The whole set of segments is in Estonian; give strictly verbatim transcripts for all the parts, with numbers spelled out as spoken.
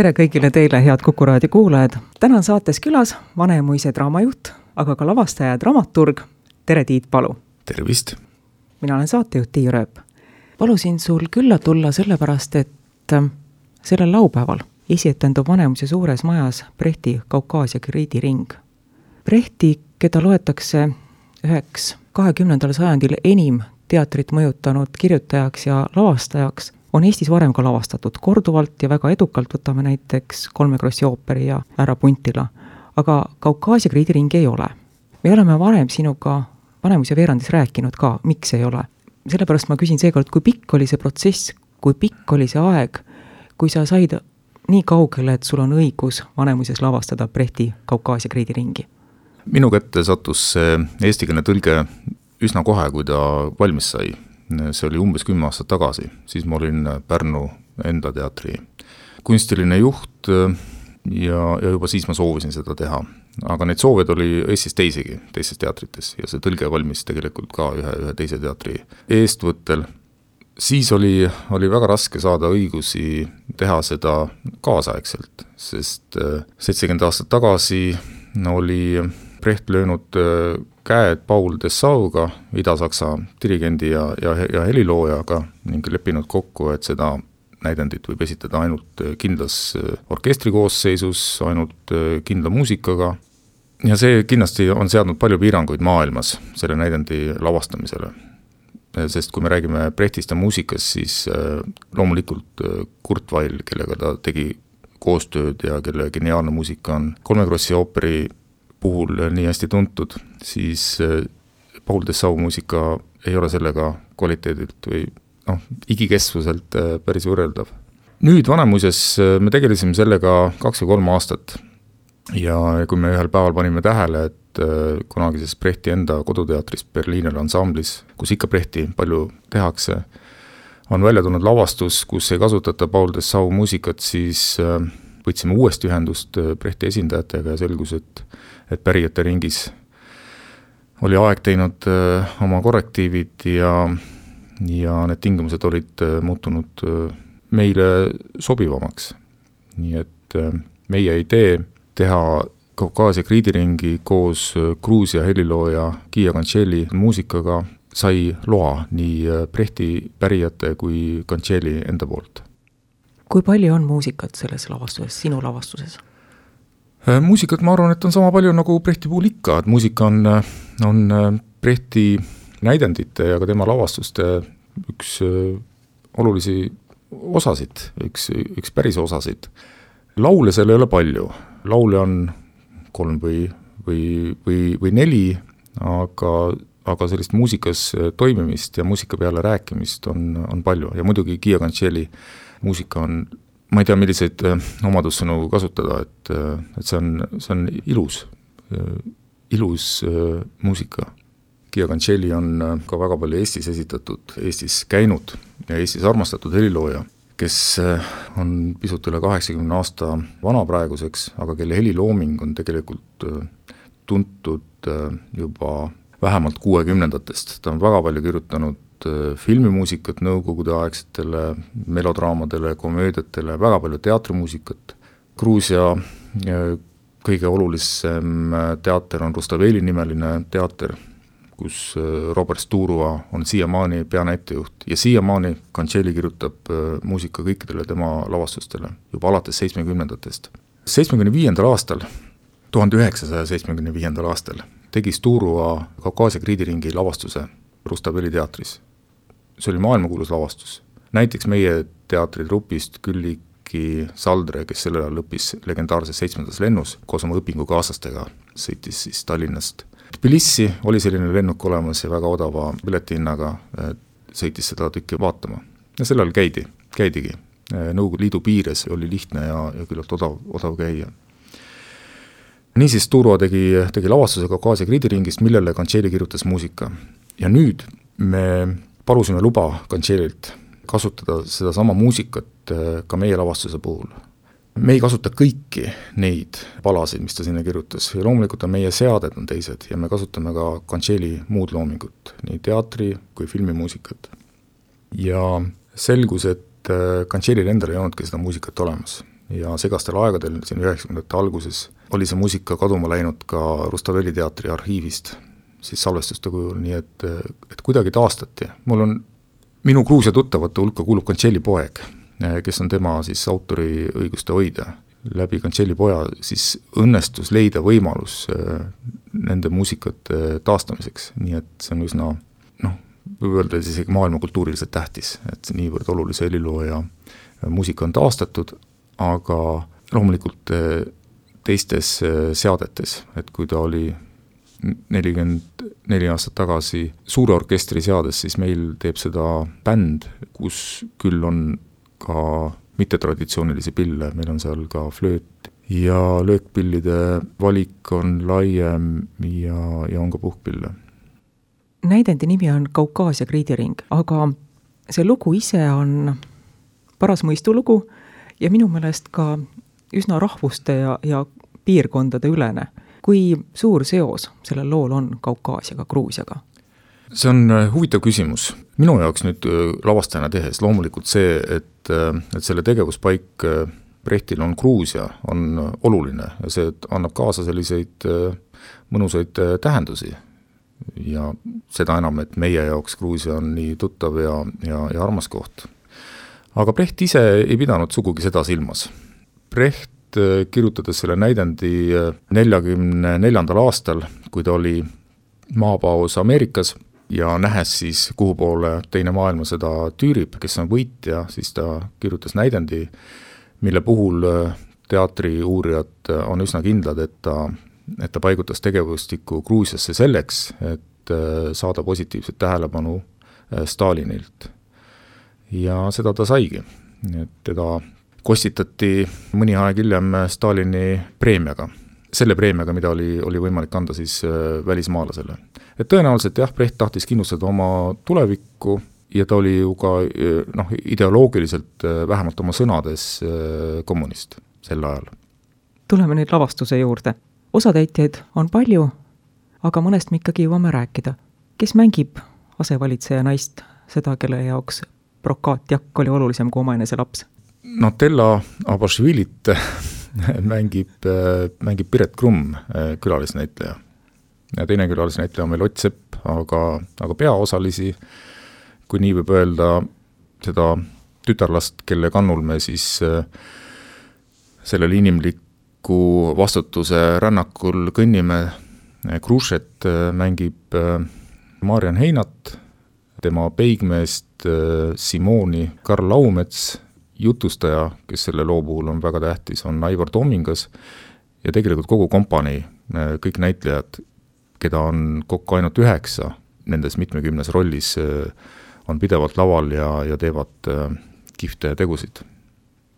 tere kõigile teile, head Kuku Raadio kuulajad! Täna on saates külas Vanemuise draamajuht, aga ka lavastaja ja dramaturg. Tere, Tiit Palu! Tervist! Mina olen saatejuht Tiiu Rööp. Palusin sul külla tulla sellepärast, et sellel laupäeval esietendub Vanemuise suures majas Brechti Kaukaasia kriidiring. Brechti, keda loetakse üheks kahekümnendal sajandil enim teatrit mõjutanud kirjutajaks ja lavastajaks, on Eestis varem ka lavastatud korduvalt ja väga edukalt, võtame näiteks Kolme Krossi ooperi ja Ära Puntila. Aga Kaukaasia kriidiring ei ole. Me oleme varem sinuga Vanemuise veerandis rääkinud ka, miks ei ole. Sellepärast ma küsin seekord, kui pikk oli see protsess, kui pikk oli see aeg, kui sa said nii kaugele, et sul on õigus Vanemuises lavastada Brechti Kaukaasia kriidiringi? Minu kätte sattus see eestikeelne tõlge üsna kohe, kui ta valmis sai. See oli umbes kümme aastat tagasi. Siis ma olin Pärnu enda teatri kunstiline juht ja, ja juba siis ma soovisin seda teha. Aga neid soovid oli Eestis teisigi, teistes teatrites ja see tõlge valmis tegelikult ka ühe, ühe teise teatri eestvõttel. Siis oli, oli väga raske saada õigusi teha seda kaasaegselt, sest seitsekümmend aastat tagasi oli Brecht löönud käed Paul Dessauga, Ida-Saksa dirigendi ja, ja, ja heliloojaga ning leppinud kokku, et seda näidendit võib esitada ainult kindlas orkestrikoosseisus, ainult kindla muusikaga. Ja see kindlasti on seadnud palju piiranguid maailmas selle näidendi lavastamisele. Sest kui me räägime Brechtist ja muusikast, siis loomulikult Kurt Weill, kellega ta tegi koostööd ja kelle geniaalne muusika on Kolme Krossi ooperi puhul nii hästi tuntud, siis Paul Dessau muusika ei ole sellega kvaliteedilt või noh, igikestvuselt päris võrreldav. Nüüd Vanemuises me tegelesime sellega kaks või kolm aastat ja kui me ühel päeval panime tähele, et kunagises Brechti enda koduteatris Berliiner ansamblis, kus ikka Brechti palju tehakse, on välja tulnud lavastus, kus ei kasutata Paul Dessau muusikat, siis võtsime uuesti ühendust Brechti esindajatega ja selgus, et, et pärijate ringis oli aeg teinud oma korrektiivid ja ja need tingimused olid muutunud meile sobivamaks. Nii et meie idee teha Kaukaasia kriidiringi koos Gruusia helilooja Gia Kancheli muusikaga sai loa nii Brechti pärijate kui Kancheli enda poolt. Kui palju on muusikat selles lavastuses, sinu lavastuses? Muusikat ma arvan, et on sama palju nagu Brechti puhul ikka, et muusika on, on Brechti näidendite ja ka tema lavastuste üks olulisi osasid, üks, üks päris osasid. Laule seal ei ole palju. Laule on kolm või, või, või, või neli, aga, aga sellist muusikas toimimist ja muusika peale rääkimist on, on palju. Ja muidugi Gia Kancheli muusika on, ma ei tea, milliseid omadussõnu kasutada, et, et see on, see on ilus, ilus muusika. Gia Kancheli on ka väga palju Eestis esitatud, Eestis käinud ja Eestis armastatud helilooja, kes on pisut üle kaheksakümne aasta vana praeguseks, aga kelle helilooming on tegelikult tuntud juba vähemalt kuuekümnendatest. Ta on väga palju kirjutanud filmimuusikat nõukogude aegsetele melodraamadele, komöödiatele, väga palju teatrimuusikat. Gruusia kõige olulisem teater on Rustaveli nimeline teater, kus Robert Sturua on siiamaani peanäitejuht ja siiamaani Kancheli kirjutab muusika kõikidele tema lavastustele juba alates seitsmekümnendatest. seitsmekümne viiendal aastal, tuhande üheksasaja seitsmekümne viiendal aastal tegi Sturua Kaukaasia kriidiringi lavastuse Rustaveli teatris. See oli maailmakuulus lavastus. Näiteks meie teatritrupist Külliki Saldre, kes sellel ajal lõppis legendaarses seitsmendas lennus, koos oma õpingukaaslastega sõitis siis Tallinnast Tbilissi, oli selline lennuk olemas ja väga odava piletihinnaga sõitis seda tükki vaatama. Ja sellel käidi, käidigi. Nõukogude Liidu piires oli lihtne ja, ja küllalt odav, odav käia. Niisiis Sturua tegi, tegi lavastuse Kaukaasia kriidiringist, millele Kancheli kirjutas muusika. Ja nüüd me palusime luba Kanchelilt kasutada seda sama muusikat ka meie lavastuse puhul. Me ei kasuta kõiki neid palasid, mis ta sinna kirjutas. Ja loomulikult on meie seaded on teised ja me kasutame ka Kancheli muud loomingut, nii teatri kui filmimuusikat. Ja selgus, et Kanchelil endal ei olnudki seda muusikat olemas. ja segastel aegadel, siin üheksakümnendate alguses, oli see muusika kaduma läinud ka Rustaveli teatri arhiivist, siis salvestuste kujul, nii et, et kuidagi taastati. Mul on, minu Gruusia tuttavate hulka kuulub Kontšelli poeg, kes on tema siis autori õiguste hoidja. Läbi Kontšelli poja siis õnnestus leida võimalus nende muusikate taastamiseks, nii et see on üsna, noh, võib öelda siis maailma kultuuriliselt tähtis, et niivõrd olulise heliloo ja muusika on taastatud, aga loomulikult teistes seadetes, et kui ta oli nelikümmend neli aastat tagasi suure orkestri seades, siis meil teeb seda bänd, kus küll on ka mittetraditsioonilisi pille, meil on seal ka flööt ja löökpillide valik on laiem ja, ja on ka puhkpille. Näidendi nimi on Kaukaasia kriidiring, aga see lugu ise on paras mõistulugu ja minu meelest ka üsna rahvuste ja, ja piirkondade ülene. Kui suur seos sellel lool on Kaukaasiaga, Gruusiaga? See on huvitav küsimus. Minu jaoks nüüd lavastajana tehes loomulikult see, et, et selle tegevuspaik Brechtil on Gruusia, on oluline ja see annab kaasa selliseid mõnusaid tähendusi. Ja seda enam, et meie jaoks Gruusia on nii tuttav ja, ja, ja armas koht. Aga Brecht ise ei pidanud sugugi seda silmas. Brecht kirjutades selle näidendi neljakümne neljandal aastal, kui ta oli maapaus Ameerikas, ja nähes siis, kuhu poole teine maailma seda tüürib, kes on võitja, siis ta kirjutas näidendi, mille puhul teatri uurijad on üsna kindlad, et ta, et ta paigutas tegevustikku Gruusiasse selleks, et saada positiivset tähelepanu Stalinilt. Ja seda ta saigi. Et teda kostitati mõni aeg hiljem Stalini preemiaga. Selle preemiaga, mida oli, oli võimalik anda siis välismaalasele. Et tõenäoliselt jah, Brecht tahtis kindlustada oma tulevikku ja ta oli ju ka noh, ideoloogiliselt vähemalt oma sõnades kommunist sel ajal. Tuleme nüüd lavastuse juurde. Osatäitjaid on palju, aga mõnest me ikkagi jõuame rääkida. Kes mängib asevalitseja naist, seda, kelle jaoks Prokaatjakk oli olulisem kui omaenese laps? Natella Abašvilit mängib, mängib Piret Krumm, külalisnäitleja. Ja teine külalisnäitleja on meil Ott Sepp, aga, aga peaosalisi, kui nii võib öelda, seda tütarlast, kelle kannul me siis sellel inimliku vastutuse rännakul kõnnime, Krušet mängib Marian Heinat, tema peigmeest Simoni Karl Laumets, jutustaja, kes selle loo puhul on väga tähtis, on Aivar Tomingas ja tegelikult kogu kompanii, kõik näitlejad, keda on kokku ainult üheksa, nendes mitmekümnes rollis on pidevalt laval ja, ja teevad kihvte tegusid.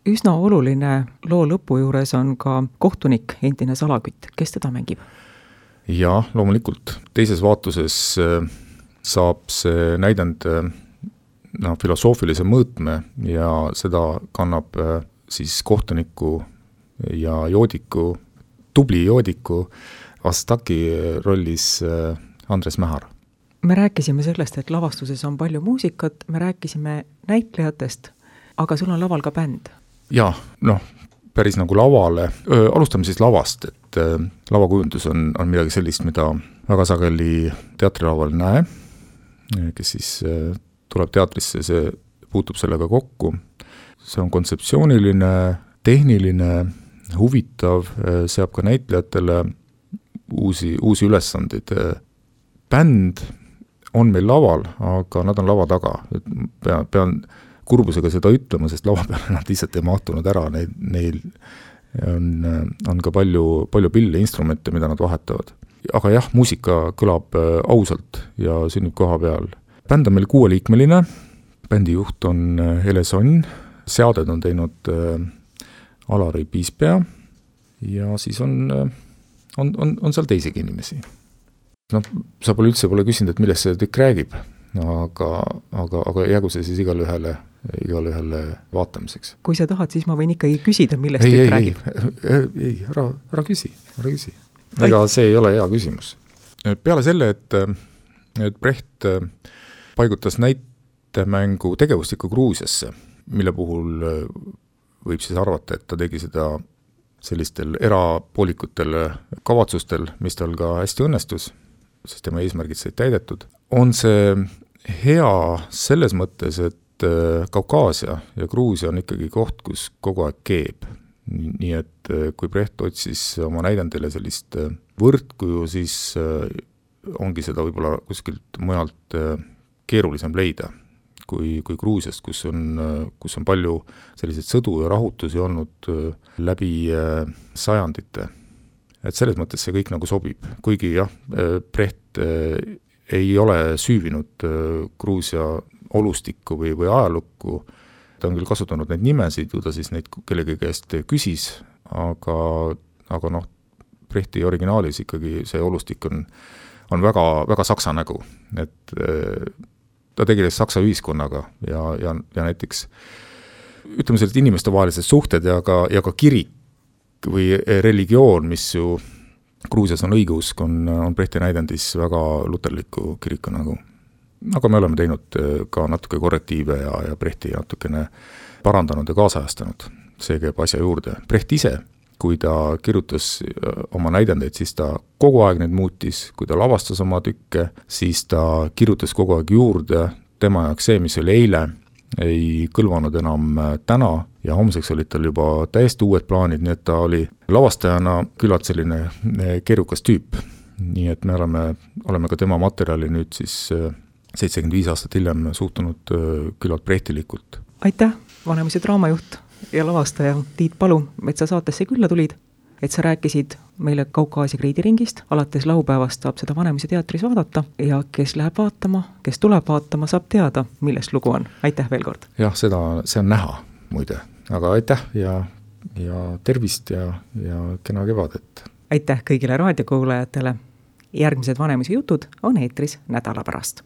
Üsna oluline loo lõpu juures on ka kohtunik, endine Salakütt. Kes teda mängib? Ja loomulikult. Teises vaatuses saab see näidend no, filosoofilise mõõtme ja seda kannab siis kohtuniku ja joodiku, tubli joodiku Astaki rollis Andres Mähar. Me rääkisime sellest, et lavastuses on palju muusikat, me rääkisime näitlejatest, aga sul on laval ka bänd. Jaa, noh, päris nagu lavale. Öö, alustame siis lavast, et öö, lavakujundus on, on midagi sellist, mida väga sageli teatrilaval näe, kes siis öö, tuleb teatrisse, see puutub sellega kokku. See on kontseptsiooniline, tehniline, huvitav, seab ka näitlejatele uusi, uusi ülesandeid. Bänd on meil laval, aga nad on lava taga. Pean, pean kurbusega seda ütlema, sest lava peale nad lihtsalt ei mahtunud ära. Neil, neil on, on ka palju, palju pille, instrumente, mida nad vahetavad. Aga jah, muusika kõlab ausalt ja sünnib koha peal. Bänd on meil kuueliikmeline, bändi juht on Hele Sonn, seaded on teinud Alari Piispea ja siis on, on, on, on seal teisegi inimesi. No, sa pole üldse pole küsinud, et millest see tükk räägib, aga, aga, aga jäägu see siis igale ühele, igale ühele vaatamiseks. Kui sa tahad, siis ma võin ikkagi küsida, millest ei, tükk ei, räägib. Ei, ei, ära, ära küsi, ära küsi. Ega see ei ole hea küsimus. Peale selle, et, et Brecht paigutas näitemängu tegevustikku Gruusiasse, mille puhul võib siis arvata, et ta tegi seda sellistel erapoolikutel kavatsustel, mis tal ka hästi õnnestus, sest tema eesmärgid said täidetud. On see hea selles mõttes, et Kaukaasia ja Gruusia on ikkagi koht, kus kogu aeg keeb. Nii et kui Brecht otsis oma näidendile sellist võrdkuju, siis ongi seda võib-olla kuskilt mujalt keerulisem leida kui, kui Gruusiast, kus on, kus on palju selliseid sõdu ja rahutusi olnud läbi sajandite. Et selles mõttes see kõik nagu sobib, kuigi jah, Brecht ei ole süüvinud Gruusia olustikku või, või ajalukku, ta on küll kasutanud neid nimesid, ju ta siis neid kellegi käest küsis, aga, aga noh, Brechti originaalis ikkagi see olustik on, on väga, väga saksa nägu, et ta tegeles saksa ühiskonnaga ja, ja, ja näiteks ütleme sellised inimeste vahelised suhted ja ka, ja ka kirik või religioon, mis ju Gruusias on õigeusk, on, on Brechti näidendis väga luterliku kiriku nägu. Aga me oleme teinud ka natuke korrektiive ja, ja Brechti natukene parandanud ja kaasajastanud. See käib asja juurde. Brecht ise, kui ta kirjutas oma näidendeid, siis ta kogu aeg neid muutis, kui ta lavastas oma tükke, siis ta kirjutas kogu aeg juurde, tema jaoks see, mis oli eile, ei kõlvanud enam täna ja homseks olid tal juba täiesti uued plaanid, nii et ta oli lavastajana küllalt selline keerukas tüüp. Nii et me oleme, oleme ka tema materjali nüüd siis seitsekümmend viis aastat hiljem suhtunud küllalt brechtilikult. Aitäh, Vanemuise draamajuht ja lavastaja Tiit Palu, et sa saatesse külla tulid, et sa rääkisid meile Kaukaasia kriidiringist, alates laupäevast saab seda Vanemuise teatris vaadata ja kes läheb vaatama, kes tuleb vaatama, saab teada, millest lugu on. Aitäh veel kord! Jah, seda, see on näha muide, aga aitäh ja, ja tervist ja, ja kena kevadet! Aitäh kõigile raadiokuulajatele! Järgmised Vanemuise jutud on eetris nädala pärast.